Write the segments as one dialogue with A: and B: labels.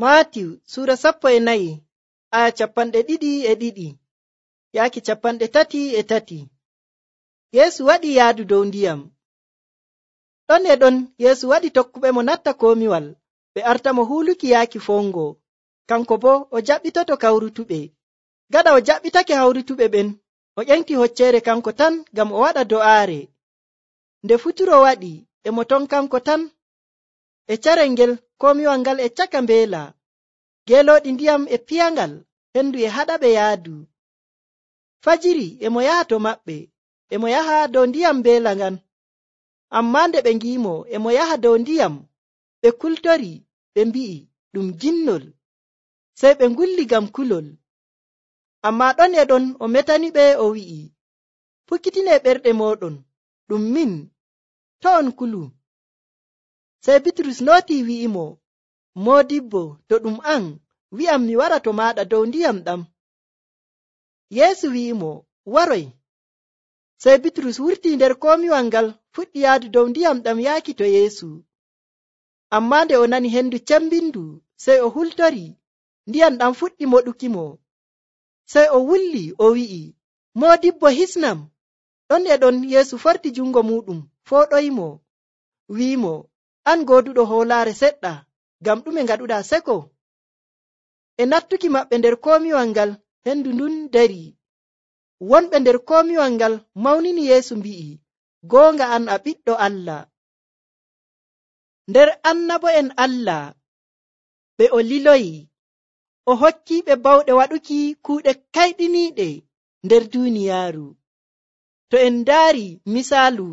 A: Maatiw sura 14 aya 22 yaaki 33. Yeesu waɗi yaadu dow ndiyam. Ɗon e ɗon Yeesu waɗi tokkuɓe mo natta komiwal ɓe arta mo huuluki yaaki fongo, kanko bo o jaɓɓitoto kawrutuɓe. Gaɗa o jaɓɓitake hawrutuɓe ɓen, o ƴenti hocceere kanko tan ngam o waɗa do'aare. Nde futuro waɗi e mo ton kanko tan e carel ngel komiwal ngal e caka mbeela. Geelooɗi ndiyam e piyangal, hendu e haɗaɓe yaadu. Fajiri e mo yaha to maɓɓe, e mo yaha dow ndiyam mbeela ngan. Ammaa nde ɓe ngi'imo e mo yaha dow ndiyam, ɓe kultori ɓe mbi'i ɗum ginnol, sey ɓe ngulli ngam kulol. Ammaa ɗon e ɗon o metaniɓe o wi'i, pukkitinee ɓerɗe mooɗon, ɗum min, to' on kulu. Sey Bitrus nootii wi'imo, Moodibbo, to ɗum an, wi'am mi wara to maaɗa dow ndiyam ɗam. Yeesu wi'imo, waroy. Sey Bitrus wurtii nder komiwal ngal fuɗɗi yaadu dow ndiyam ɗam yaaki to Yeesu. Ammaa nde o nani hendu cembindu, sey o hultori, ndiyam ɗam fuɗɗi moɗukimo. Sey o wulli o wi'i, Moodibbo, hisnam. Ɗon e ɗon Yeesu forti jungo muɗum fooɗoyimo, wi'imo, an gooduɗo hoolaare seɗɗa, ngam ɗume ngaɗuɗaa seko? E nattuki maɓɓe nder komiwal ngal hendu ndun dari. Wonɓe nder komiwal ngal mawnini Yeesu mbi'i, goonga an a ɓiɗɗo Allah. Nder annabo'en Allah ɓe o liloyi, o hokkiiɓe bawɗe waɗuki kuuɗe kayɗiniiɗe nder duuniyaaru. To en ndaari misaalu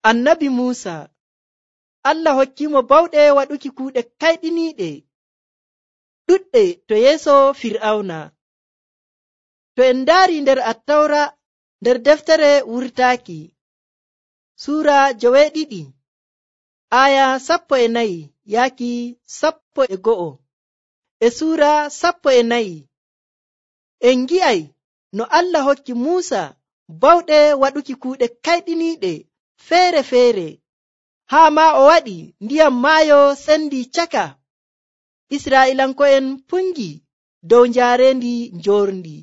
A: annabi Muusa, Allah hokkiimo bawɗe waɗuki kuuɗe kayɗiniiɗe ɗuɗɗe to yeeso Fir'awna. To en ndaari nder Attawra, nder deftere wurtaaki, Suura 12 aya 14 yaaki 11, e Suura 14 en ngi'ay no Allah hokki Muusa bawɗe waɗuki kuuɗe kayɗiniiɗe feere-feere, haa maa o waɗi ndiyam maayo sendi caka. Israa'iilanko'en pungi dow njaarendi njorndi.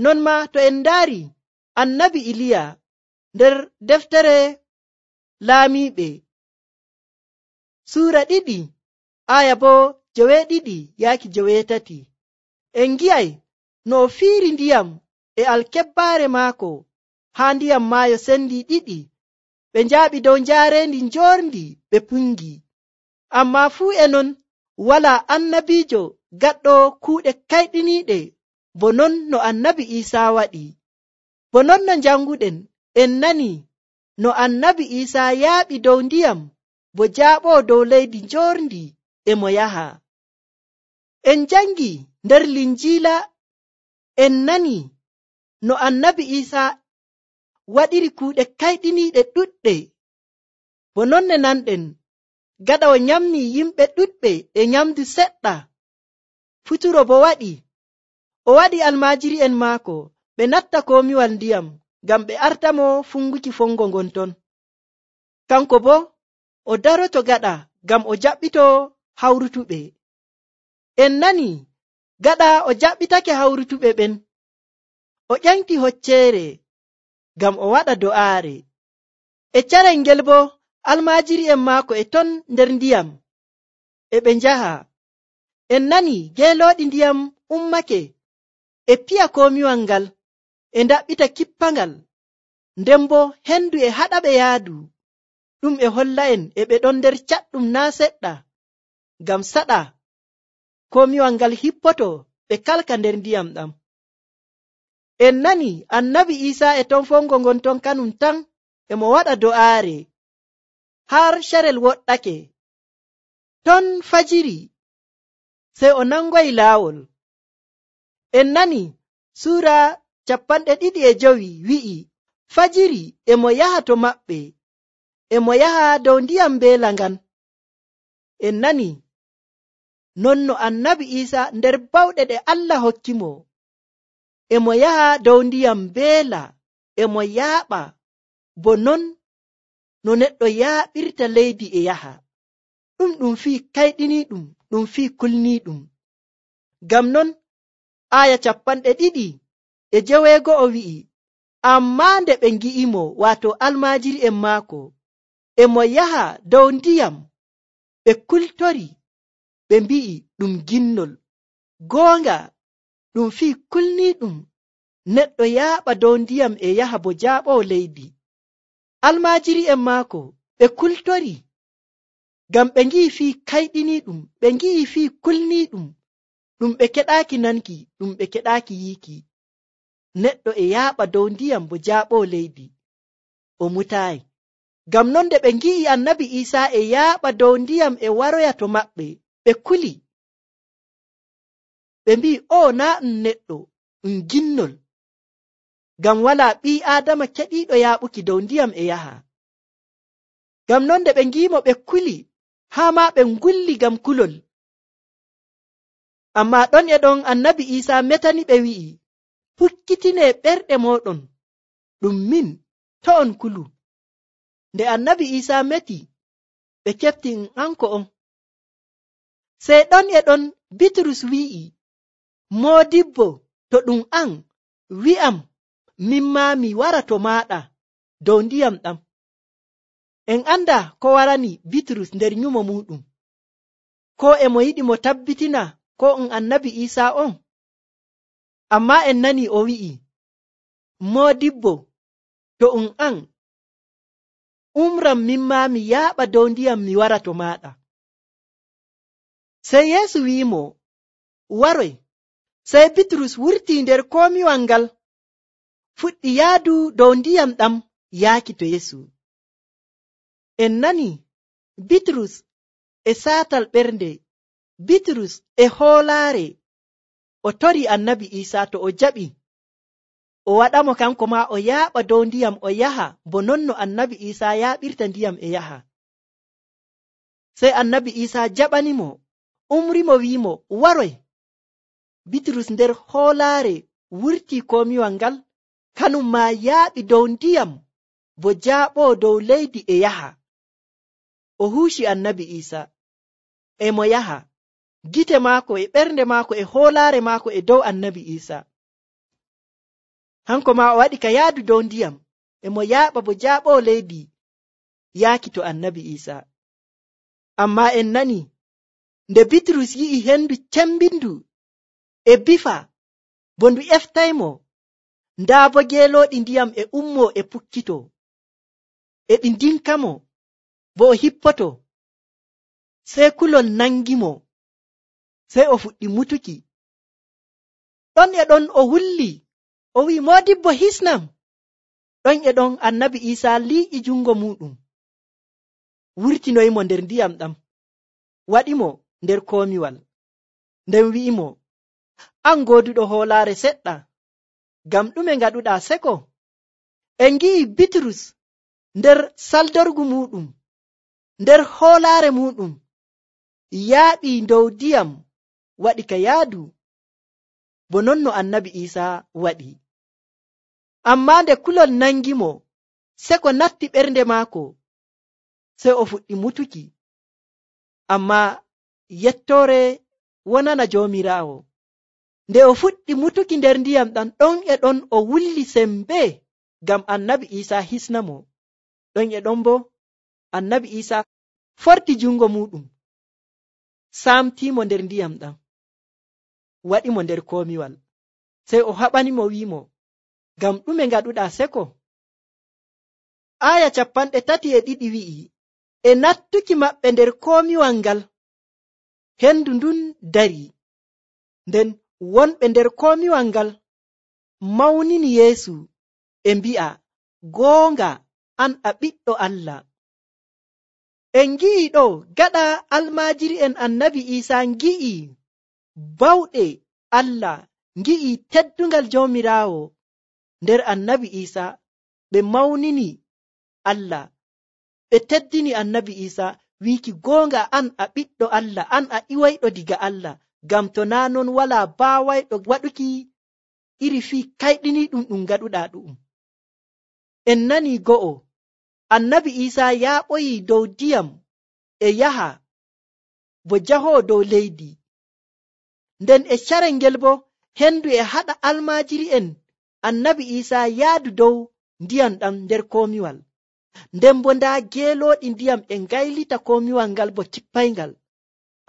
A: Non maa to en ndaari annabi Iliya nder deftere laamiiɓe, Suura 2 aya bo 9 yaaki 9, en ngi'ay no o fiiri ndiyam e alkebbaare maako haa ndiyam maayo sendi ɗiɗi, ɓe njaaɓi dow njaarendi njorndi ɓe pungi. Ammaa fuu e non walaa annabiijo gaɗɗo kuuɗe kayɗiniiɗe bo non no annabi Iisaa waɗi. Bo non no njanguɗen en nani no annabi Iisaa yaaɓi dow ndiyam bo jaaɓoo dow leydi njorndi e mo yaha. En jangi nder Linjiila en nani no annabi Iisaa waɗiri kuuɗe kayɗiniiɗe ɗuɗɗe. Bo non ne nanɗen gaɗa o nyamni yimɓe ɗuɗɓe e nyamdu seɗɗa. Futuro bo waɗi, o waɗi almaajiри'en maako ɓe natta komiwal ndiyam ngam ɓe artamo funguki fongo ngon ton. Kanko bo o daroto gaɗa ngam o jaɓɓito hawrutuɓe. En nani gaɗa o jaɓɓitake hawrutuɓe ɓen, o ƴenti hocceere ngam o waɗa do'aare. E carel ngel bo almaajiri'en maako e ton nder ndiyam e ɓe njaha. En nani geelooɗi ndiyam ummake e piya komiwal ngal e ndaɓɓita kippangal, nden bo hendu e haɗaɓe yaadu. Ɗum e holla en e ɓe ɗon nder caɗɗum naa seɗɗa, ngam saɗa komiwal ngal hippoto ɓe kalka nder ndiyam ɗam. En nani annabi Iisaa e ton fongo ngon ton kanum tan e mo waɗa do'aare har carel woɗɗake. Ton fajiri sey o nangoyi laawol. En nani Suura 25 wi'i, fajiri e mo yaha to maɓɓe, e mo yaha dow ndiyam mbeela ngan. En nani non no annabi Iisaa nder bawɗe ɗe Allah hokkimo, e mo yaha dow ndiyam mbeela, e mo yaaɓa, bo non no neɗɗo yaaɓirta leydi e yaha. ɗum fii kayɗiniiɗum, ɗum fii kulniiɗum. Ngam non aya 2:9 wi'i, ammaa nde ɓe ngi'imo, waato almaajiri'en maako, e mo yaha dow ndiyam, ɓe kultori, ɓe mbi'i ɗum ginnol. Goonga ɗum fii kulniiɗum neɗɗo yaaɓa dow ndiyam e yaha bo jaaɓowo leydi. Almaajiri'en maako ɓe kultori ngam ɓe ngi'i fii kayɗiniiɗum, ɓe ngi'i fii kulniiɗum, ɗum ɓe keɗaaki nanki, ɗum ɓe keɗaaki yiiki. Neɗɗo e yaaɓa dow ndiyam bo jaaɓowo leydi, o mutaayi. Ngam non nde ɓe ngi'i annabi Iisaa e yaaɓa dow ndiyam e waroya to maɓɓe, ɓe kuli. Ɓe mbi'i, o naa ɗum neɗɗo, ɗum ginnol. Ngam walaa ɓii Aadama keɗiiɗo yaaɓuki dow ndiyam e yaha. Ngam non nde ɓe ngi'imo ɓe kuli, haa maa ɓe ngulli ngam kulol. Ammaa ɗon e ɗon annabi Iisaa metani ɓe wi'i, hukkitinee ɓerɗe mooɗon, ɗum min, to on kulu. Nde annabi Iisaa meti, ɓe kefti anko on. Sey ɗon e ɗon Bitrus wi'i, moodibbo, to ɗum an, wi'am, min maa mi wara to maaɗa dow ndiyam ɗam. En anda ko warani Bitrus nder nyumo muɗum, ko e mo yiɗi mo tabbitina ko annabi Iisaa on. Ammaa en nani o wi'i, moodibbo, to an, umram min maa mi yaaɓa dow ndiyam mi wara to maaɗa. Sey Yeesu wi'imo, waroy. Sey Bitrus wurtii nder komiwal ngal, fuɗɗi yaadu dow ndiyam ɗam yaaki to Yeesu. En nani Bitrus e saatal ɓernde, Bitrus e hoolaare, o tori annabi Iisaa to o jaɓi, o waɗamo kanko maa o yaaɓa dow ndiyam o yaha bo non no annabi Iisaa yaaɓirta ndiyam e yaha. Sey annabi Iisaa jaɓanimo, umrimo wi'imo, waroy. Bitrus nder hoolaare wurtii komiwal ngal, kanum maa yaaɓi dow ndiyam bo jaaɓoo dow leydi e yaha. O huuci annabi Iisaa, e mo yaha, gite maako e ɓernde maako e hoolaare maako e dow annabi Iisaa. Hanko maa o waɗi ka yaadu dow ndiyam, e mo yaaɓa bo jaaɓoo leydi yaaki to annabi Iisaa. Ammaa en nani, nde Bitrus yi'i hendu cembindu e bifa bo ndu eftaymo, ndaa bo geelooɗi ndiyam e ummoo e pukkitoo, e ɗi ndinkamo, bo o hippoto. Sey kulol nangimo, sey o fuɗɗi mutuki. Ɗon e ɗon o wulli, o wi'i, moodibbo hisnam. Ɗon e ɗon annabi Iisaa liiƴi jungo muɗum, wurtinoyimo nder ndiyam ɗam, waɗimo nder komiwal, nden wi'imo, an gooduɗo hoolaare seɗɗa, ngam ɗume ngaɗuɗaa seko? En ngi'i Bitrus nder saldorgu muɗum, nder hoolaare muɗum, yaaɓi dow ndiyam, waɗi ka yaadu, bo non no annabi Iisaa waɗi. Ammaa nde kulol nangimo, seko natti ɓernde maako, sey o fuɗɗi mutuki. Ammaa yettoore wonana Joomiraawo. Nde o fuɗɗi mutuki nder ndiyam ɗam, ɗon e ɗon o wulli sembe ngam annabi Iisaa hisnamo. Ɗon e ɗon bo annabi Iisaa forti jungo muɗum, saamtiimo nder ndiyam ɗam, waɗimo nder komiwal. Sey o haɓanimo wi'imo, ngam ɗume ngaɗuɗaa seko? Aya 32 wi'i, e nattuki maɓɓe nder komiwal ngal, hendu ndun dari. Nden wonɓe nder komiwal ngal mawnini Yeesu e mbi'a, goonga an a ɓiɗɗo Allah. En ngi'i ɗo gaɗa almaajiri'en annabi Iisaa ngi'i bawɗe Allah, ngi'i teddungal Joomiraawo nder annabi Iisaa, ɓe mawnini Allah, ɓe teddini annabi Iisaa, wiiki goonga an a ɓiɗɗo Allah, an a iwayɗo diga Allah, ngam to naa non walaa baawayɗo waɗuki iri fii kayɗiniiɗum ɗum ngaɗuɗaa ɗu'um. En nani go'o, annabi Iisaa yaaɓoyi dow ndiyam e yaha bo jahoo dow leydi. Nden e carel ngel bo hendu e haɗa almaajiri'en annabi Iisaa yaadu dow ndiyam ɗam nder komiwal. Nden bo ndaa geelooɗi ndiyam e ngaylita komiwal ngal bo cippayngal.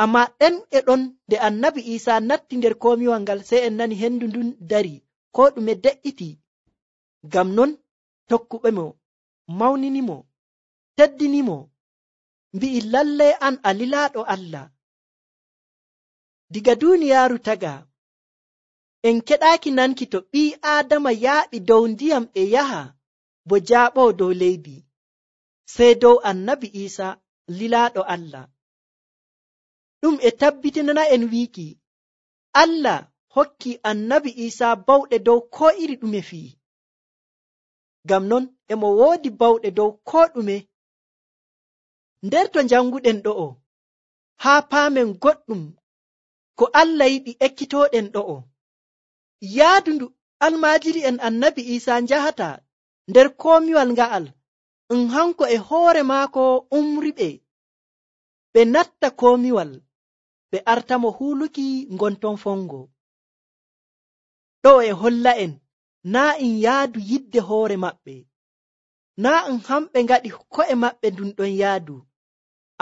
A: Amma ɗen e ɗon nde annabi Iisaa natti nder komiwal ngal, sey en nani hendu ndun dari, ko ɗume de'iti. Ngam non tokkuɓe mo mawninimo, teddinimo, mbi'i lallay an a lilaaɗo Allah. Diga duuniyaaru taga en keɗaaki nanki to ɓii Aadama yaaɓi dow ndiyam e yaha bo jaaɓoo dow leydi, sey dow annabi Iisaa lilaaɗo Allah. Ɗum e tabbitinana en wiiki Allah hokki annabi Iisaa bawɗe dow koo iri ɗume fii. Ngam non emo woodi bawɗe dow koo ɗume. Nder to janguɗen ɗo'o haa paamen goɗɗum ko Allah yiɗi ekkitooɗen ɗo'o. Yaadu ndu almaajiri'en annabi Iisaa njahata nder komiwal nga'al, hanko e hoore maako umriɓe ɓe natta komiwal ɓe artamo huuluki ngonton fongo. Ɗo e holla en naa en yaadu yidde hoore maɓɓe, naa hamɓe ngaɗi ko'e maɓɓe ndun ɗon yaadu,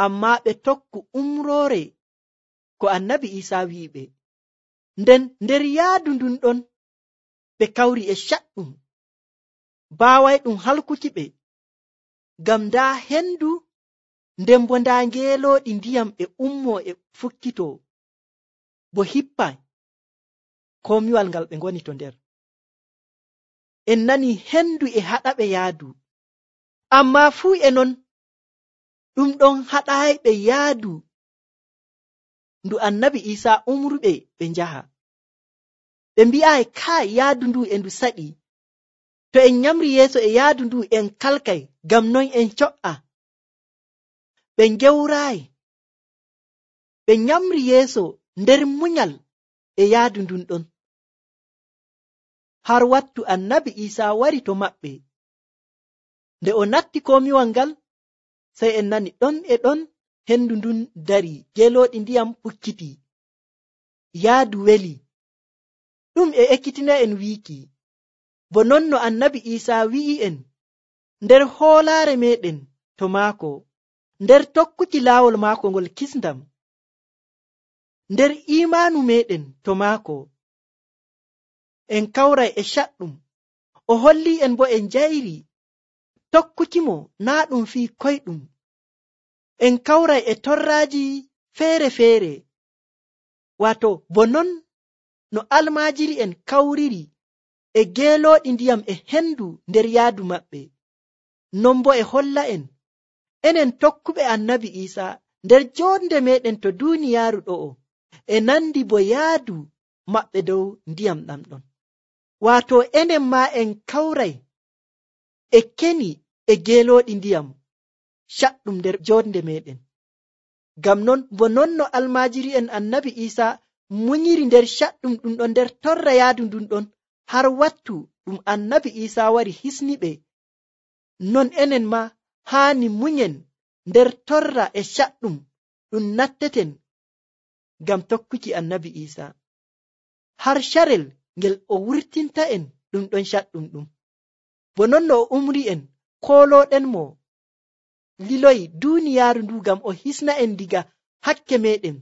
A: amma ɓe tokku umroore ko annabi Iisaa wi'iɓe. Nden nder yaadu ndun ɗon ɓe kawri e caɗɗum, baaway ɗum halkuki ɓe, ngam ndaa hendu, nden bo ndaa ngeelooɗi ndiyam e ummoo e fukkitoo bo hippa komiwal ngal ɓe ngoni to nder. En nani hendu e haɗaɓe yaadu, amma fuu e non ɗum ɗon haɗayɓe yaadu ndu annabi Iisaa umruɓe ɓe njaha. Ɓe mbi'ayi kai yaadu ndu e ndu saɗi, to en nyamri yeeso e yaadu ndu en kalkay, ngam non en co'a. Ɓe gewraayi, ɓe nyamri yeeso nder munyal e yaadu ndun ɗon, har wattu annabi Iisaa wari to maɓɓe. Nde o natti komiwal ngal, sey en nani ɗon e ɗon hendu ndun dari, geelooɗi ndiyam pukkiti, yaadu weli. Ɗum e ekkitina en wiiki bo non no annabi Iisaa wi'i en nder hoolaare meɗen to maako, nder tokkuki laawol maako ngol kisndam, nder iimaanu meɗen to maako, en kawray e caɗɗum. O holli en bo en njayri tokkukimo naa ɗum fii koyɗum. En kawray e torraaji feere-feere, waato bo non no almaajiri'en kawriri e geelooɗi ndiyam e hendu nder yaadu maɓɓe. Non bo e holla en enen tokkuɓe annabi Iisaa nder jonde meɗen to duuniyaaru ɗo'o e nandi bo yaadu maɓɓe dow ndiyam ɗam ɗon. Waato enen maa en kawray e keni e geelooɗi ndiyam caɗɗum nder jonde meɗen. Ngam non bo non no almaajiri'en annabi Iisaa munyiri nder caɗɗum ɗum ɗon nder torra yaadu ndun ɗon, har wattu ɗum annabi Iisaa wari hisniɓe, non enen ma haani munyen nder torra e caɗɗum ɗum natteten ngam tokkuki annabi Iisaa, har carel ngel o wurtinta en ɗum ɗon caɗɗum ɗum. Bo non no o umri en, koolooɗen mo liloyi duuniyaaru ndu ngam o hisna en diga hakke meɗen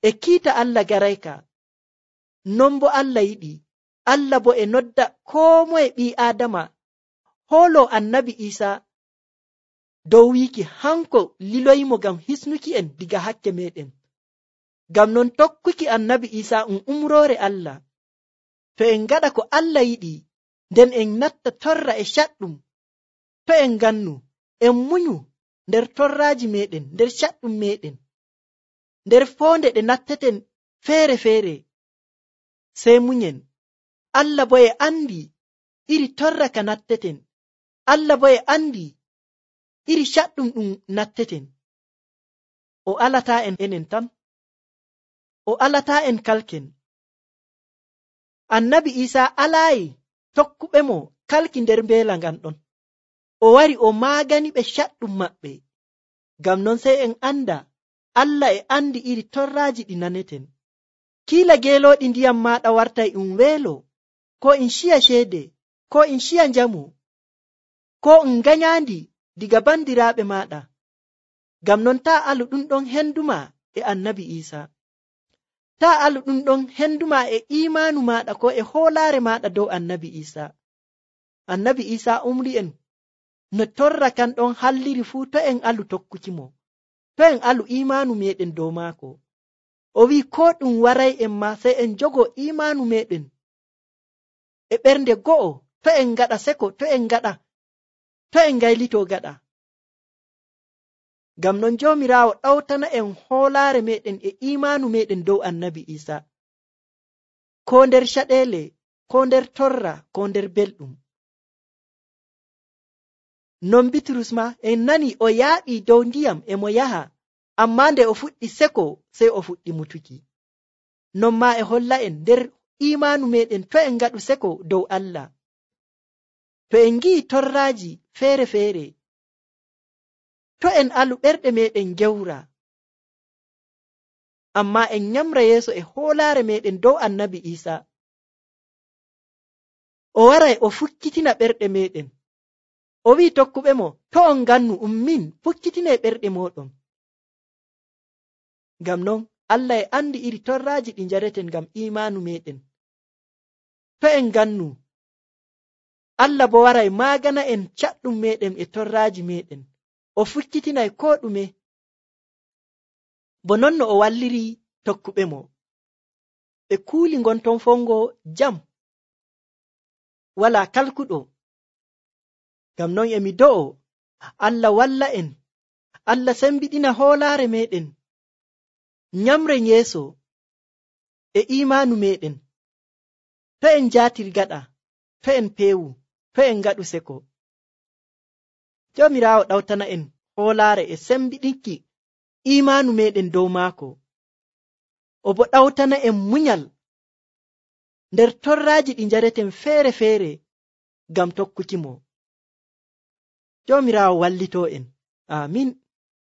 A: e kiita Allah garayka. Non bo Allah yiɗi, Allah bo e nodda koo moye ɓii Aadama hooloo annabi Iisaa dow wiiki hanko liloyimo ngam hisnuki en diga hakke meɗen. Ngam non tokkuki annabi Iisaa umroore Allah. To en ngaɗa ko Allah yiɗi, nden en natta torra e caɗɗum, to en ngannu en munyu nder torraaji meɗen, nder caɗɗum meɗen, nder foonde ɗe natteten feere-feere, sey munyen. Allah bo e andi iri torra ka natteten, Allah bo e andi iri caɗɗum ɗum natteten. O alataa en enen tan, o alataa en kalken. Annabi Iisaa alaayi tokkuɓe mo kalki nder mbeela ngan ɗon. O wari o maagani ɓe caɗɗum maɓɓe. Ngam non sey en anda Allah e andi iri torraaji ɗi naneten. Kiila geelooɗi ndiyam maaɗa wartay um weelo, ko in ciya ceede, ko in ciya njamu, ko um ganyaandi diga bandiraaɓe maaɗa. Ngam non taa alu ɗum ɗon henduma e annabi Iisa. Taa alu ɗum ɗon henduma e imaanu maaɗa ko e hoolaare maaɗa dow annabi Iisa. Annabi Iisa umri'en no torra kan ɗon halliri fuu to en alu tokkukimo, to en alu imaanu meɗen dow maako. O wi'i ko ɗum waray en ma sey en jogo imaanu meɗen e ɓernde go'o, to en ngaɗa seko, to en gaylito gaɗa. Ngam non Joomiraawo ɗawtana en hoolaare meɗen e imaanu meɗen dow annabi Iisa, ko nder caɗeele, ko nder torra, ko nder belɗum. Non Bitrus ma en nani o yaaɓi dow ndiyam e mo yaha, amma nde o fuɗɗi seko sey o fuɗɗi mutuki. Non ma e holla en nder imaanu meɗen to en ngaɗu seko dow Allah. To en ngi'i torraaji feere-feere, to en alu ɓerɗe meɗen gewra, amma en nyamra yeeso e hoolaare meɗen dow annabi Iisa. O waray o fukkitina ɓerɗe meɗen. O wi'i tokkuɓe mo, to on ngannu min fukkitine ɓerɗe moɗon. Ngam non Allah e andi iri torraaji ɗi njareten ngam imaanu meɗen. To en ngannu, Allah bo waray maagana en caɗɗum meɗen e torraaji meɗen. O fukkitinay ko ɗume, bo non no o walliri tokkuɓe mo. Ɓe kuuli ngonton fongo jam, wala kalkuɗo. Ngam non emi do'o Allah walla en, Allah sembiɗina hoolaare meɗen, nyamren yeeso e imaanu meɗen. To en jaatir gaɗa, to en peewu, to en ngaɗu seko. Joomiraawo ɗawtana en hoolaare e sembiɗinki imaanu meɗen dow maako. O bo ɗawtana en munyal nder torraaji ɗi njareten feere-feere ngam tokkuki mo. Joomiraawo wallitoo en. Aamin.